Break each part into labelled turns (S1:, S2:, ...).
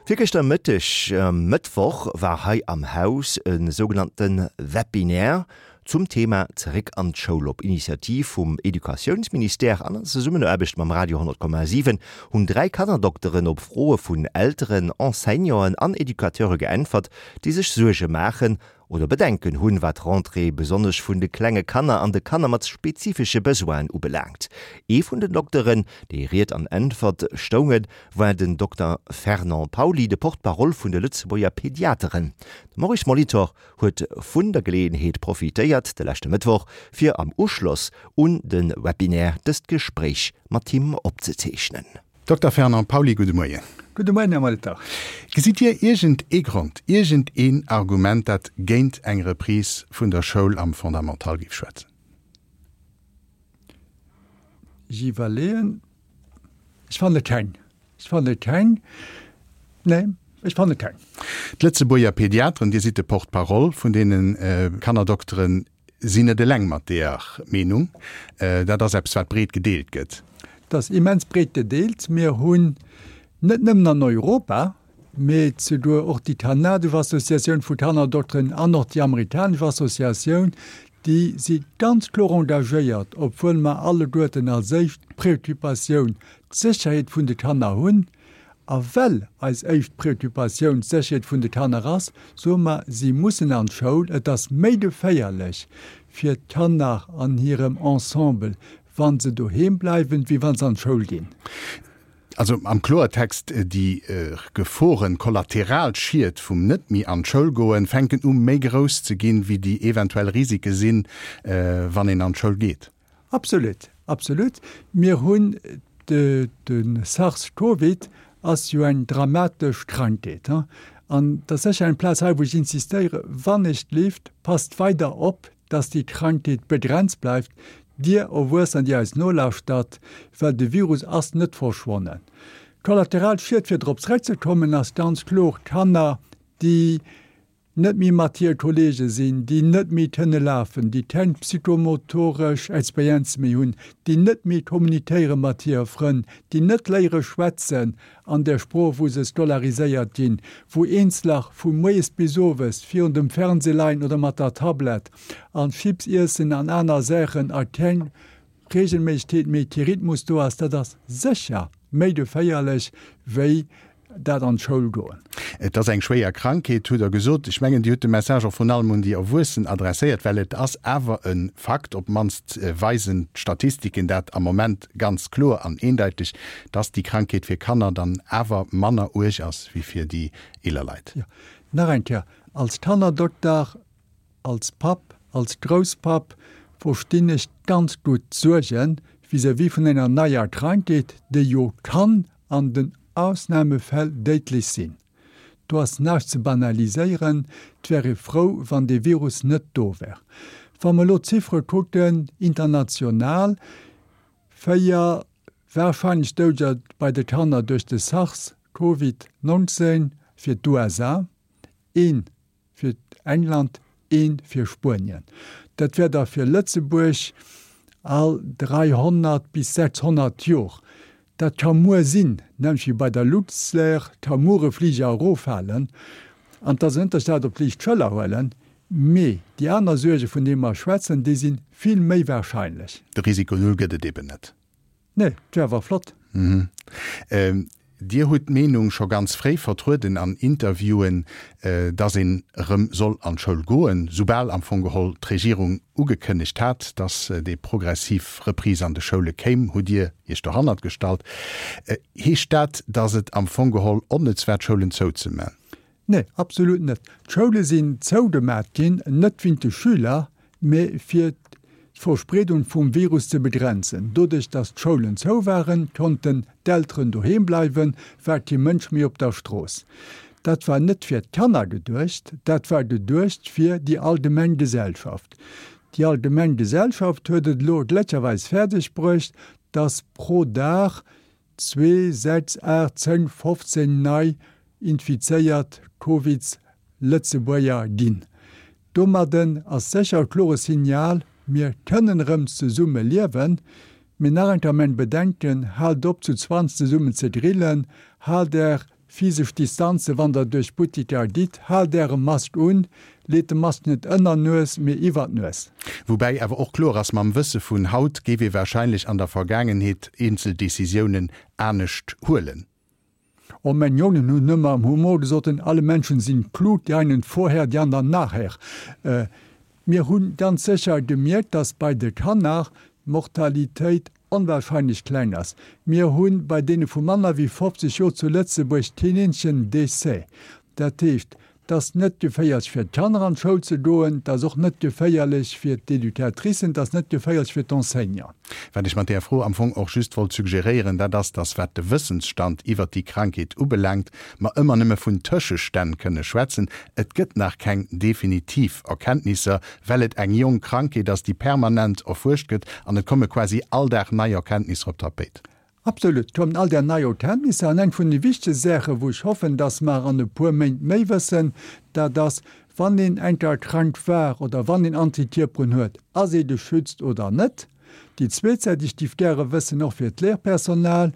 S1: Virgëschter Mëtteg, Mëttwoch, war hei am Haus e sougenannte Webinaire zum Thema Zeréck an d'Schoul. Op Initiativ vum Educatiounsministère an an Zesummenaarbecht mam Radio 10,7 hunn 3 Kannerdokteren op Froe vun Elteren, Enseignanten an Educateure geäntwert, déi sech Suerge maachen oder Bedenken hunn, wat d'Rentrée besonnesch vun de klenge Kanner an de Kanner mat spezifesche Besoinen ubelaangt. Ee vun den Dokteren, déi Ried an Äntwert stoungen, war den Dokter Fernand Pauly, de Porte-parole vun de Lëtzebuerger Pediateren. De Maurice Molitor huet vun der Geleeënheet profitéiert, de leschte Mëttwoch, fir am Uschloss un de Webinaire dëst Gespréich mat him opzezeechnen.
S2: Dokter Fernand Pauly, gudde Moien.
S3: Gudde Moien, Här Molitor.
S2: Gesitt Dir iergend ee Grond, iergend een Argument, dat géint eng Reprise vun der Schoul am Fondamental géif schwätzen?
S3: Ech iwwerleeën. Ech fanne keng. Ech fanne keng. Nee, ech fanne keng.
S2: D'Lëtzebuerger Pediateren, Dir sidd de Porte-parole vun deene Kannerdokteren, sinn net eleng mat deeër Meenung. Dat ass eppes, wat breet gedeelt gëtt.
S3: Dat ass immens breet gedeelt. Mir hunn net nëmmen an Europa, mee souguer och déi kanadesch Associatioun vu Kannerdokteren an och déi amerikanesch Associatioun, déi si ganz kloer engagéiert, obwuel mer alleguerten als éischt Préoccupatioun d'Sécherheet vun de Kanner hunn. A well eis éischt Préoccupatioun d'Sécherheet vun de Kanner ass, soe mer, si mussen an d'Schoul. Et ass méi geféierlech fir d'Kanner an hirem Ensemble, wa se doheem bleiwen, wéi wa se an d'Schoul ginn.
S2: Also am Kloertext, déi Geforen, kollateral Schied vum net méi an d'Schoul goen, fänken u méi grouss ze ginn, wéi déi eventuell Risike sinn, wann een an d'Schoul geet.
S3: Absolut, absolut. Mir hunn de SARS-Covid ass jo eng dramatesch Krankheet. An et ass sécher eng Plaz hei, wou ech insistéiere, wann ech d'Lift, passt weider op, dass déi Krankheet begrenzt bleift, Dir Erwuessener, déi eis nolauschtert, well de Virus ass net verschwonnen. Kollateral Schied, fir drop zréckzekommen, ass ganz kloer, Kanner, déi net méi mat hire Kollege sinn, déi net méi kënne lafen, déi keng psychomotoresch Experienze méi hunn, déi net méi kommunikéiere mat hire Frënn, déi net léiere schwätzen an der Sprooch, wou se scolariséiert ginn, wou Eenzeler vu moies bis owes virun dem Fernseh leien oder mat der Tablett an Chips iessen an aner Saachen a keng Regelméissegkeet méi, kee Rhythmus do ass, dat ass sécher méi geféierlech wéi dat an d'Schoul goen.
S2: Et ass eng schwéier Krankheet, hutt Der gesot. Ech mengen, Dir hutt de Message och vrun allem un déi Erwuessen adresséiert, well et ass awer e Fakt, op d'mannst weisen d'Statistiken dat am Moment ganz kloer an eendeiteg, dass déi Krankheet fir Kanner dann awer manner uerg ass wéi fir déi eeler Leit.
S3: Jo, nach eng Kéier, als Kannerdokter, als Papp, als Grousspapp verstinn ech ganz gutt d'Suerge vis-à-vis vun enger neier Krankheet, déi jo kann an den Ausnamefäll déidlech sinn. Do ass näischt ze banaliséieren. Et wär ee frou, wann dee Virus net do wär. Wa mer elo d'Ziffere kucken, international, 4 warscheinlech Doudeger bei de Kanner duerch de SARS Covid 19 fir d'USA, een fir England, een fir Spuenien. Dat wär da fir Lëtzebuerg all 300 bis 600 Jor. Dat ka muer sinn, nämlech wéi bei der Luxair ka muer e Fliger eroffalen an 't ass en Ënterstaat op d'liicht Schëller huelen. Mee déi aner Suerge vun deene mer schwätzen, déi si vill méi wahrscheinlech.
S2: De Risiko Null gëtt et eben net.
S3: Nee, 't wär awer flott.
S2: Dir hutt d'Meenung scho ganz fréi vertrueden an Interviewen, dass een erëm soll an d'Schoul goen, soubal am Fong geholl d'Regierung ugekënnegt hat, dass déi progressiv Reprise an de Schoule kéim, hutt Dir Iech dohannert gestallt. Heescht dat, dass et am Fong geholl onnëtz war, d'Schoulen zouzeman?
S3: Nee, absolut net. D'Schoule sinn zougemat ginn, net wéint de Schüler, mee fir d'Verspreedung vum Virus ze begrenzen. Doduerch datt d'Schoulen zou waren, konnten d'Elteren doheem bleiwen, war kee Mënsch méi op der Strooss. Dat war net fir d'Kanner geduecht, dat war geduecht fir déi allgemeng Gesellschaft. Déi allgemeng Gesellschaft huet et elo gléckcherweis fäerdeg bruecht, datt pro Dag Zwee, 6, 8, 10, 15 nei infizéiert Covids Lëtzebuerger ginn. Domadden ass sécher e klore Signal, mir kënnen erëm zesumme liewen. Mee nach eng Kéier mäin Bedenken, haalt op zu 20 zesummen ze grillen, haalt är. Physesch Distanze wann der duerch d'Buttiker gitt, haalt äre Mask un, leet de Mask net ënner Nues, mee iwwer d'Nues.
S2: Woubäi awer och kloer ass, mam Wësse vun haut géif ee warscheinlech an der Vergaangenheet eenzel Decisiounen anescht huelen.
S3: Oh, meng Jongen hunn ëmmer am Humor gesot, alle Menschen sind klug, die einen vorher, die anderen nachher. Mir hu ganz sécher gemierkt, dass bei de Kanner d'Mortalitéit onwahrscheinlech kleng ass. Mir hu bei deene vu manner wéi 50 Joer zu Lëtzebuerg keen eenzegen Décès. Dat heescht, et ass net geféierlech fir d'Kanner an d'Schoul ze goen, et ass och net geféierlech fir d'Educatricen, et ass net geféierlech fir d'Enseignanten.
S2: Wat ech mat där Fro am Fong och just wollt suggeréieren, dat ass, dass wat de Wëssensstand iwwert déi Krankheet ubelaangt, mer ëmmer nëmme vun Tëschestänn kënne schwätzen. Et gëtt nach keng definitiv Erkenntnisser, well et eng jonk Krankheet ass, déi permanent erfuerscht gëtt an et komme quasi all Dag nei Erkenntnisser op d'Tapéit.
S3: Absolut, et kommen all Dag nei Erkenntnisser. An eng vun de wichtege Saachen, wou ech hoffen, dass mer an e puer Méint méi wëssen, dat ass, wann een eng Kéier krank war oder wann een Antikierperen huet, ass ee geschützt oder net? Déi zweet Säit, déi ech géif gäre wëssen, och fir d'Lehrpersonal,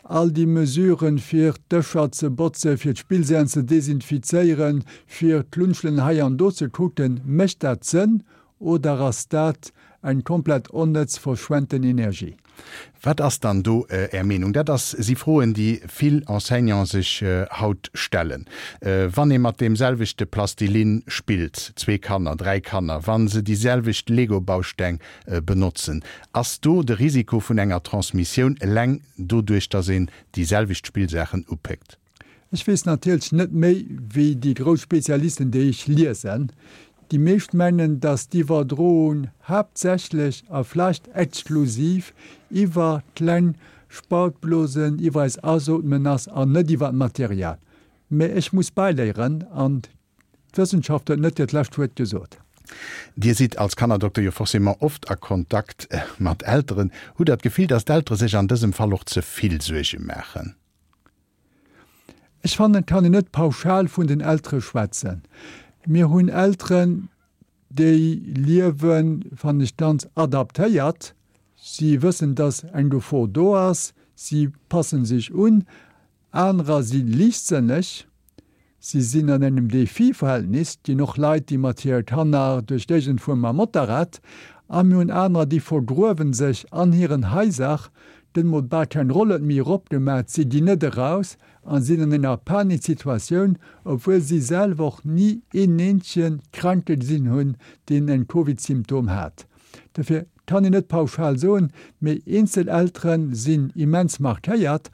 S3: All déi Mesuren, fir d'Dëscher ze botzen, fir d'Spillsären ze desinfizéieren, fir d'Lunchelen hei an do ze kucken, mécht dat Sënn oder ass dat eng komplett onnëtz verschwenten Energie?
S2: Wat ass dann do Är Meenung? Dat ass, si Froen, déi vill Enseignante sech haut stellen. Wann ee mat deem selwechte Plastilinn spillt, zwee Kanner, dräi Kanner, wa se déi selwecht Lego-Bausteng benotzen, ass do de Risiko vun enger Transmissioun eleng doduerch, datt een déi selwecht Spillsaachen upéckt?
S3: Ech weess natierlech net méi wéi déi grouss Spezialisten, déi ech liesen. Déi meescht mengen, datt d'Iwwerdroung haaptsächlech a vläicht exklusiv iwwer kleng Spautblosen, iwwer eis Asootmen ass an net iwwer d'Material. Mä ech muss bäiléieren an D'Wëssenschaft huet net hiert lescht Wuert gesot.
S2: Dir sidd als Kannerdokter jo forcément oft a Kontakt mat Elteren. Hutt Der d'Gefill, datt d'Eltere sech an dësem Fall och ze vill Suerge maachen?
S3: Ech fannen, et kann een net pauschal vun den Eltere schwätzen. Mir hunn Elteren, déi liewen, fannen ech, ganz adaptéiert. Si wëssen, datt eng Gefor do ass, si passen sech un. Anerer si liichtsënneg, si sinn an engem Défi-Verhältnis, et ginn och Leit, déi mat hire Kanner duerch d'Géigend fuere mam Motorrad, a mir hunn anerer, déi vergruewen sech an hiren Haiser, gëtt mol bal keng Rollued méi eropgemat, si ginn net eraus a sinn an enger Paniksituatioun, obwuel si selwer och ni een eenzege Kranke gesinn hunn, deen en Covid-Symptom hat. Dofir kann een net pauschal soen, mee eenzel Eltere sinn immens markéiert.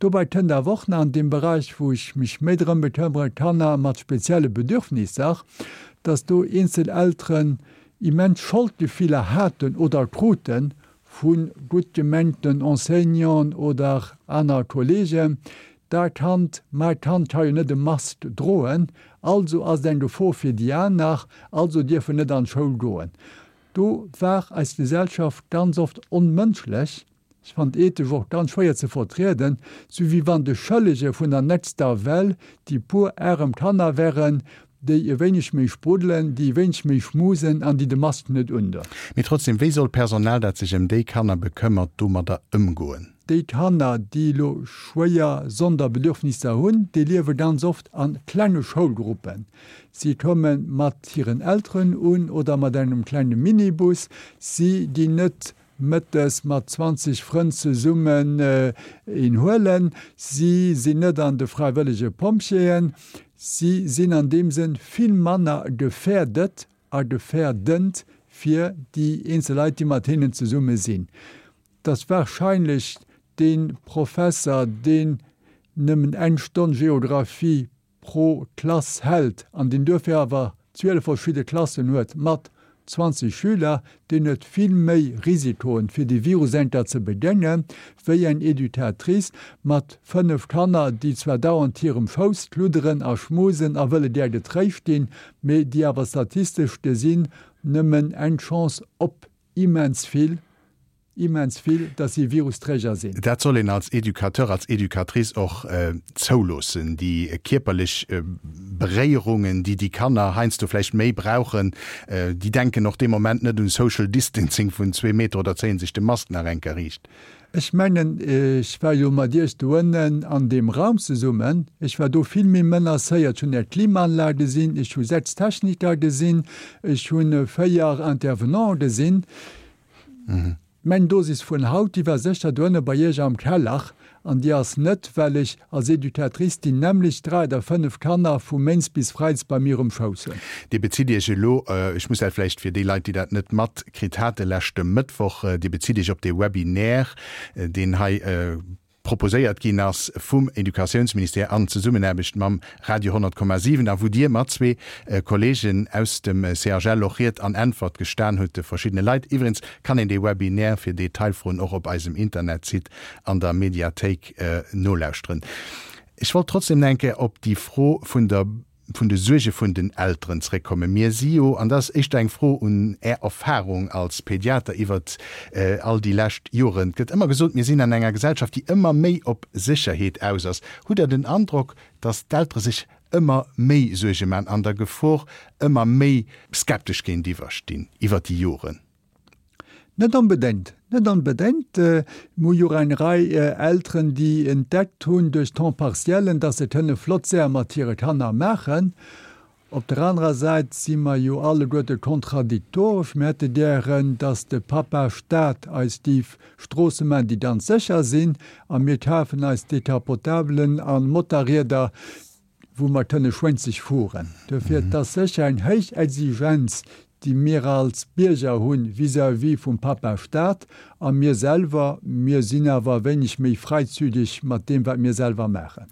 S3: Dobäi kënnt awer och nach an deem Beräich, wou ech mech méi drëm bekëmmere, Kanner mat spezielle Bedürfnisser, dass do eenzel Elteren immens Scholdgefiller haten oder krute vu gutt gemengten Enseignanten oder aner Kollegen, Dat Kand, mäi Kand ka jo net e Mask droen, also ass et eng Gefor fir déi aner, also dierf en net an d'Schoul goen. Do war eis Gesellschaft ganz oft onmënschlech, ech fannen ethesch och ganz schwéier ze vertrieden, sou wéi wann de Schëllege vun der nächster Well déi puer arem Kanner wären, déi e wéineg méi spruddelen, déi e wéineg méi schmusen an déi de Mask net undon.
S2: Mee trotzdem, wéi soll d'Personal, dat sech ëm déi Kanner bekëmmert, domadder ëmgoen?
S3: Déi Kanner, déi elo schwéier Sonderbedürfnisser hunn, déi liewe ganz oft a klenge Schoulgruppen. Si komme mat hiren Elteren un oder mat engem klenge Minibus. Si ginn net mëttes mat 20 Frënn zesummen een huelen. Si sinn net an de fräiwëllege Pompjeeën. Si sinn an deem Sënn vill manner gefährdet a gefährdend fir déi eenzel Leit, déi mat hinnen zesumme sinn. Et ass wahrscheinlech dee Professer, deen nëmmen eng Stonn Geographie pro Klass hält an deen duerfir awer 12 verschidde Klassen huet mat 20 Schüler, deen huet vill méi Risikoen, fir dee Virus enker ze begéngen, wéi eng Educatrice mat 5 Kanner, déi zwar dauernd hirem Schouss kludderen a schmusen a wëlle gär getréischt ginn, mee déi awer statistesch gesinn nëmmen eng Chance op immens vill. immens vill, dass si Virusträger sinn.
S2: Dat soll een als Educateur, als Educatrice och zouloossen, déi kierperlech Beréierungen, déi déi Kanner heiansdo vläicht méi brauchen. Déi denken och dee Moment net un Social Distancing vun zwee Meter oder zéien sech de Mask nach eng Kéier riicht.
S3: Ech mengen, ech war jo mat Iech doënnen an deem Raum zesummen, ech war do vill méi menacéiert. Ech hunn Är Klimaanlag gesinn, ech hu 6 Techniker gesinn, ech hu 4 Intervenanten gesinn. Meng Dosis vun haut, déi war sécher doënne bei Iech am Keller an déi ass net, well ech als Educatrice déi nämmlecht 3 oder 5 Kanner vu Méints bis Freides bei mir um Schouss hunn.
S2: Dir bezitt Iech elo, ech muss dat vläicht fir déi Leit, déi dat net matkritt hate leschte Mëttwoch, Dir bezitt Iech op dee Webinaire, deen hei proposéiert ginn ass vum Educatiounsministère an Zesummenaarbecht mam Radio 100,7 a wou Dir mat zwee Kollegen aus dem CHL och Ried an Äntwert gestan hutt de verschiddene Leit. Iwwregens kann een dee Webinaire fir Detailfroen och op eisem Internetsite an der Mediathéik nolauschteren. Ech wollt trotzdem nach eng Kéier op déi Fro vun der vun de Suerge vun den Elteren zréckkommen. Mir si jo, an dat ass éischter eng Fro un Är Erfahrung als Pediater iwwert all déi lescht Joren, et gëtt ëmmer gesot, mir sinn an enger Gesellschaft, déi ëmmer méi op Sécherheet aus ass. Hutt Der den Androck, datt d'Eltere sech ëmmer méi Suerge maachen an der Gefor ëmmer méi skeptesch géintiwwer stinn iwwert déi Joren?
S3: Net onbedéngt, net onbedéngt. Mir hu jo och eng Rei Elteren, déi entdeckt hunn duerch Temps-partiellen, dass se kënne flott Saache mat hire Kanner maachen. Op der anerer Säit si mer jo alleguerte kontradiktoresch. Mir hätte gären, dass de Papa Staat eis déi Stroosse maachen, déi ganz sécher sinn, a mir kafen eis Decapotabelen a Motarrieder, wou mer kënne schwénzeg fueren. Dofir, et ass sécher eng héich Exigenz, déi mir als Bierger hunn vis-à-vis vum Papa Staat, a mir selwer, mir sinn awer e wéineg méi freizügig mat deem, wat mir selwer maachen.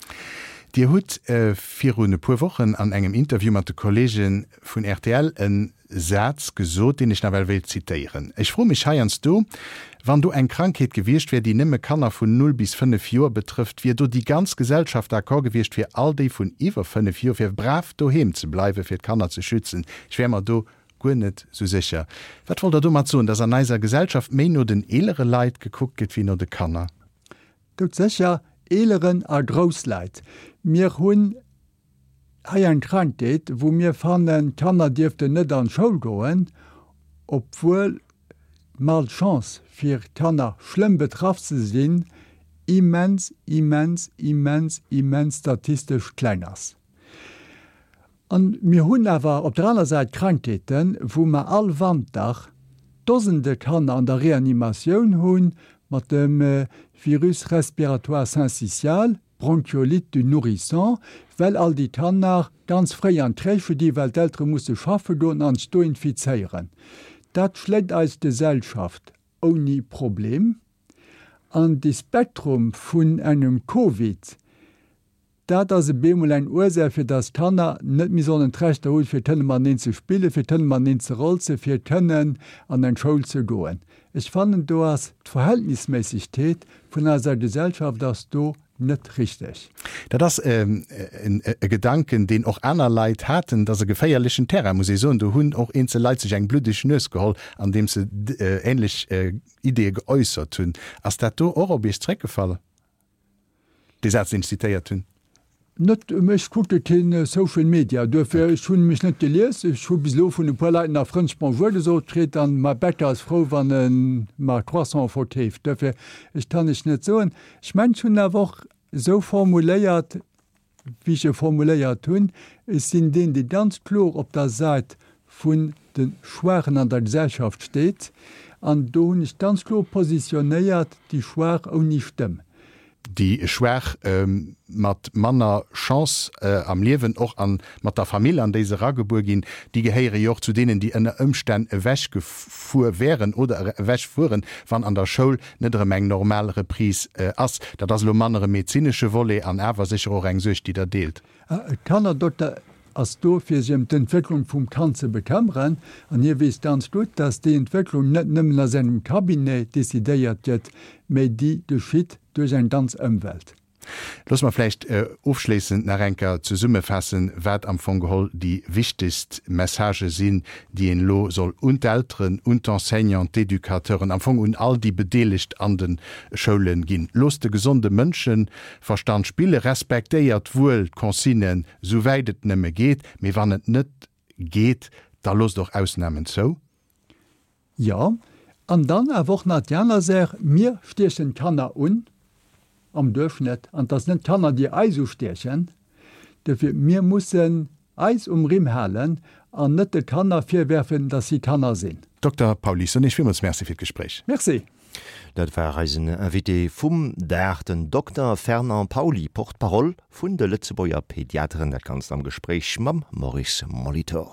S2: Dir hutt virun e puer Wochen an engem Interview mat de Kollege vun rtl e Saz gesot, deen ech nawell wéilt zitéieren, Ech froe mech heiansdo, wann do eng Krankheet gewiescht wär, déi nëmme Kanner vun 0 bis 5 Joer betrëfft, wier do déi ganz Gesellschaft d'accord gewiescht, fir all déi vun iwwer 5 Joer fir brav doheem ze bleiwen, fir d'Kanner ze schützen? Ech wär mer do guer net sou sécher. Wat wollt Der domat soen, dass an eiser Gesellschaft méi no den eelere Leit gekuckt gëtt wéi no de Kanner?
S3: Doudsécher, eeleren a grouss Leit. Mir hunn Hei eng Krankheet, wou mir fannen, d'Kanner dierften net an d'Schoul goen, obwuel d'Malchance fir Kanner schlëmm betraff ze sinn immens, immens, immens, immens statistesch kleng ass. An mir hunn awer op der aner Säit Krankheeten, wou mer all Wanter Dosende Kanner an der Reanimatioun hunn mat dem Virus respiratoire syncytial, Bronchiolite du nourrisson, well all déi Kanner ganz fréi an d'Crèche gi well d'Eltere musse schaffe goen an sech do infizéieren. Dat schléit eis Gesellschaft ouni Problem. An de Spektrum vun engem Covid, dat ass e bemol eng Ursaach fir dass d'Kanner net méi sollen d'Rechter hunn fir kënne mateneen ze spillen, fir kënne mateneen ze rolzen, fir kënnen an eng Schoul ze goen. Ech fannen do ass d'Verhältnisméissegkeet vun eiser Gesellschaft ass do net richteg.
S2: Dat ass e Gedanken, deen och aner Leit haten. Et ass e geféierlechen Terrain, muss ee soen. Do hunn och eenzel Leit sech eng bluddeg Nues geholl, andeems se ähnlech Ideeë geäussert hunn. Ass dat do och op Iech zréckgefall? Dee Saz, deen ech zitéiert hunn.
S3: Net, ech kucke keen Social Media, duerfir ech hunn mech net gelies. Ech hu bis elo vun e puer Leit nach frëndlech Bonjour gesot kritt an mäi Bäcker ass frou, wann e mer Croissante verkeeft. Duerfir, ech kann lech net soen. Ech mengen, ech hunn awer och esou formuléiert, wéi ech e formuléiert hunn. Ech sinn deen, dee ganz kloer op der Säit vun de Schwaachen an der Gesellschaft steet. An do hunn ech ganz kloer positionéiert, déi Schwaach ouni Stëmm.
S2: Déi Schwaach mat manner Chance am Liewen, och a mat der Famill, an déi se eragebuer ginn, déi gehéiere jo och zu deenen, déi ënner Ëmstänn ewechgefuer wären oder ewechfueren, wann an der Schoul net erëm eng normal Reprise ass. Dat ass elo manner e medezinesche Volet an awer sécher och eng Suerg, déi Der deelt.
S3: E Kannerdokter ass do fir sech ëm d'Entwécklung vum Kand ze bekëmmeren an hie weess ganz gutt, dass déi Entwécklung net nëmmen a sengem Cabinet decidéiert gëtt, mä déi geschitt duerch eng ganz Ëmwelt.
S2: Loosse mer vläicht ofschléissend nach eng Kéier zesummefaassen, wat am Fong geholl déi wichtegst Messagë sinn, déi een elo soll un d'Elteren, un d'Enseignanten, d'Educateuren, am Fong un all déi Bedeelegt an de Schoule ginn. Loosst de gesonde Mënscheverstand spillen, respektéiert wuel d'Consignen, souwäit et nëmme geet, mee wann et net geet, da loosst och Ausnamen zou.
S3: Jo, an dann awer och nach déi aner Saach, Mir stiechen d'Kanner un, am Duerchschnëtt, an et ass net d'Kanner, déi eis ustiechen. Dofir, mir mussen eis um Rimm halen an net de Kanner virwerfen, dass si Kanner sinn.
S2: Dokter Pauly Sonesch, villmools Merci fir d'Gespréich.
S3: Merci.
S1: Dat war eisen Invité vum Dag, den Dokter Fernand Pauly, Porte-parole vun de Lëtzebuerger Pediateren. Dat Ganzt am Gespréich mam Maurice Molitor.